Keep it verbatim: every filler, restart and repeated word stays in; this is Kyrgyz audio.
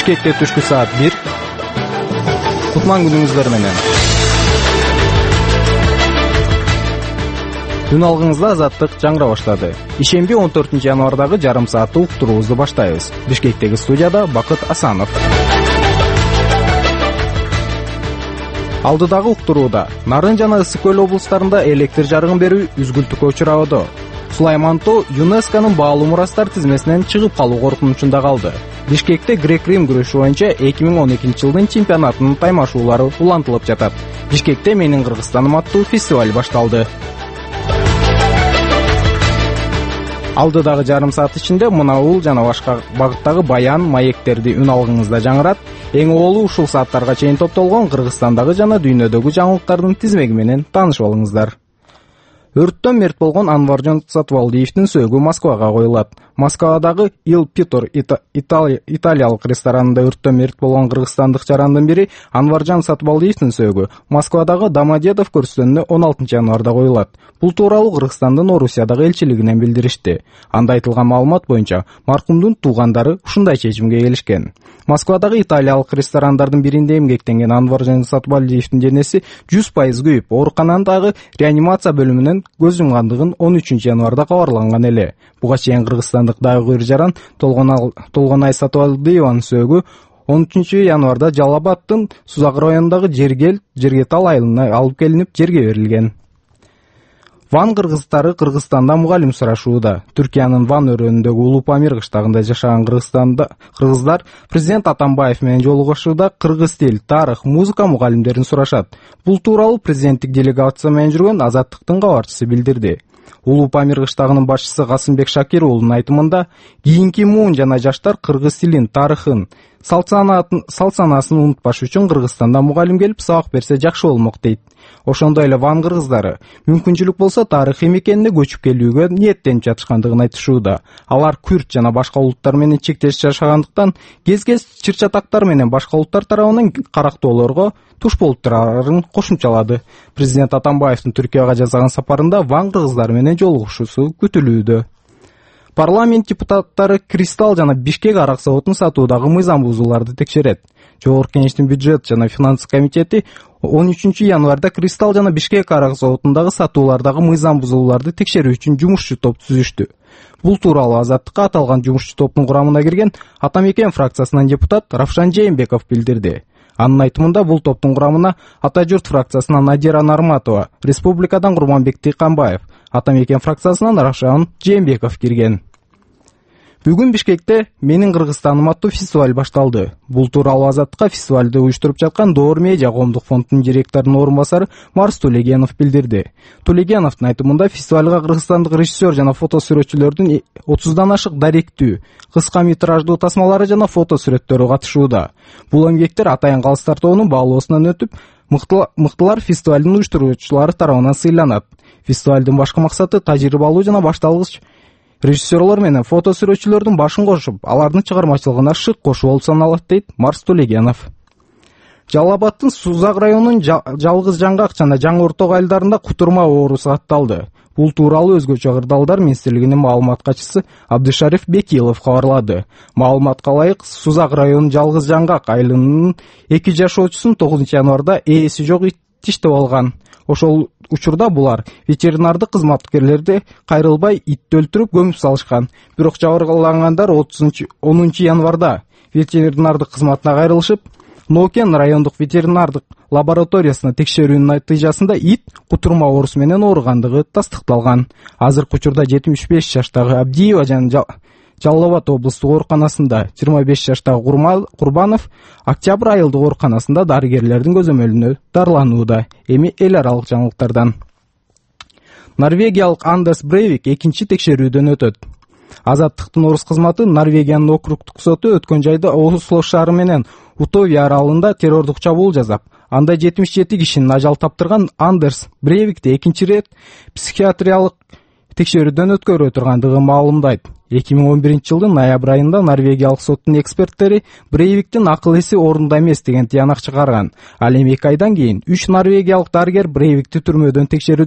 Бишкекте түшкү саат бир. Кутман күнүңүздөр менен. Күн алгыңызда азаттык жаңыра баштады. Ишемби он төртүнчү январдагы жарым сааттык уктуруубузду баштайбыз. Бишкектеги студияда Бакыт Асанов. Алдыдагы уктурууда Нарын жана Ысык көл облустарында электр жарыгын берүү үзгүлтүккө учурады. Сулайман Тоо ЮНЕСКОнун баалуу мурастар тизмесинен чыгып калуу коркунучунда калды. Бишкекте грек-рим күрөшү боюнча эки миң он экинчи жылдын чемпионатынын таймашуулары улантылып жатат. Бишкекте Менин Кыргызстаным аттуу фестиваль башталды. Алдыдагы жарым саат ичинде мунаул жана башка багыттагы баян, маектерди үн алгыңызда жаңырат. Эң оолу ушул сааттарга чейин топтолгон Кыргызстандагы жана дүйнөдөгү жаңылыктардын тизмеги менен таанышып алыңыздар. Өрттөн мерт болгон Анваржан Сатыбалдиевдин сөөгү Москвага коюлат. Москвадагы Il Pittor италиялык ресторанында өрттөн мерт болгон кыргызстандык жарандын бири Анваржан Сатыбалдиевдин сөөгү Москвадагы Домодедов көрстөнүнө он алтынчы январда коюлат. Бул тууралуу Кыргызстандын Орусиядагы элчилигинен билдиришти. Анда айтылган маалымат боюнча маркумдун туугандары ушундай чечимге келишкен. Москвадагы италиялык ресторандардын биринде эмгектенген Анваржан Сатыбалдиевдин денеси жүз пайыз күйүп, ооруканадагы реанимация бөлүмүнөн көз жумгандыгын он үчүнчү январда кабарланган эле. Буга чейин кыргызстандык дагы бир жаран Толгонай Сатыбалдиеванын сөөгү он үчүнчү январда Жалал Абаддын Сузак районундагы Жергел Жергетал айылына алып келинип жерге берилген. Ван кыргыздары Кыргызстанда мугалим сурашууда. Түркиянын Ван өрөөнүндөгү Улуу Памир кыштагында жашаган Кыргызстанда кыргыздар президент Атамбаев менен жолугушууда кыргыз тил, тарых, музыка мугалимдерин сурашат. Бул тууралуу президенттик делегация менен жүргөн Азаттыктын кабарчысы билдирди. Улуу Памир кыштагынын башчысы Касымбек Шакир уулунун айтымында, кийинки муун жана жаштар кыргыз тилин, тарыхын, салт санаасын унутпаш үчүн Кыргызстанда мугалим келип сабак берсе жакшы болмок дейт. Ошондой эле Ван кыргыздары мүмкүнчүлүк болсо тарыхый мекенине көчүп келүүгө ниеттенип жатышкандыгын айтышууда. Алар күрт жана башка улуттар менен чектеш жашагандыктан кез-кез чыр-чатактар менен башка улуттар тарабынан карактоолорго туш болуп турарын кошумчалады. Президент Атамбаевдин Түркияга жасаган сапарында Ван кыргыздары менен жолугушуусу күтүлүүдө. Парламент депутаттары Кристалл жана Бишкек арак заводун сатуудагы мыйзам бузууларды текшерет. Жогорку Кеңештин бюджет жана финансы комитети он үчүнчү январда Кристалл жана Бишкек арак заводундагы сатуулардагы мыйзам бузууларды текшерүү үчүн жумушчу топ түзүштү. Бул тууралуу Азаттыкка аталган жумушчу топтун курамына кирген Атамекен фракциясынан депутат Равшан Жээнбеков билдирди. Анын айтымында бул топтун курамына Ата журт фракциясынан Надира Нарматова, Республикадан Курманбек Тыйканбаев, Атамекен фракциясынан Равшан Жээнбеков кирген. Бүгүн Бишкекте Менин Кыргызстаным аттуу фестиваль башталды. Бул тууралуу Азаттыкка фестивалды уюштуруп жаткан Доор медиа коомдук фондунун директорунун орун басары Марс Тулегенов билдирди. Тулегеновдун айтымында фестивалга кыргызстандык режиссер жана фото сүрөтчүлөрдүн отуздан ашык даректүү, кыска метраждуу тасмалары жана фото сүрөттөрү катышууда. Бул эмгектер Атайын калыстар тобунун баалоосунан өтүп, мыктылар фестивалдын уюштуруучулары тарабынан сыйланат. Фестивалдын башкы максаты тажрыйбалуу жана башталгыч режиссерлор менен фото сүрөтчүлөрдүн башын кошуп, алардын чыгармачылыгына шык кошуу болуп саналат дейт Марс Тулегенов. Жалал Абаддын Сузак районунун Жалгыз Жаңгак жана Жаңы Орток айылдарында кутурма оорусу катталды. Бул тууралуу өзгөчө кырдаалдар министрлигинин маалымат катчысы Абдышариф Бекилов кабарлады. Маалыматка ылайык, Сузак районунун Жалгыз Жаңгак айылынын эки жашоочусун тогузунчу январда ээси жок ит тиштеп алган. Ошол учурда булар ветеринардык кызматкерлерди кайрылбай итти өлтүрүп көмүп салышкан. Бирок жабырлангандар онунчу январда ветеринардык кызматына кайрылышып, Нокен райондук ветеринардык лабораториясына текшерүүнүн натыйжасында ит кутурма оорусу менен ооругандыгы тастыкталган. Азыркы учурда жетимиш беш жаштагы Абдиева жана Жалал Абад облустук ооруканасында, жыйырма беш жаштагы Курбанов Октябрь айылдык ооруканасында дарыгерлердин көзөмөлүнө дарыланууда. Эми эл аралык жаңылыктардан. Норвегиялык Андерс Брейвик экинчи текшерүүдөн өтөт. Азаттыктын орус кызматы Норвегиянын округдук соту өткөн жайда Осло шаары менен Утовия аралында террордук чабуул жасап, анда жетимиш жети кишинин ажал таптырган Андерс Брейвикти экинчи рет психиатриялык текшерүүдөн өткөрө тургандыгын маалымдайт. эки миң он биринчи жылдын ноябрь айында Норвегиялык соттун эксперттери Брейвиктин акыл эси орунда эмес деген тыянак чыгарган. Ал эми эки айдан кийин үч норвегиялык дарыгер Брейвикти түрмөдөн текшерүү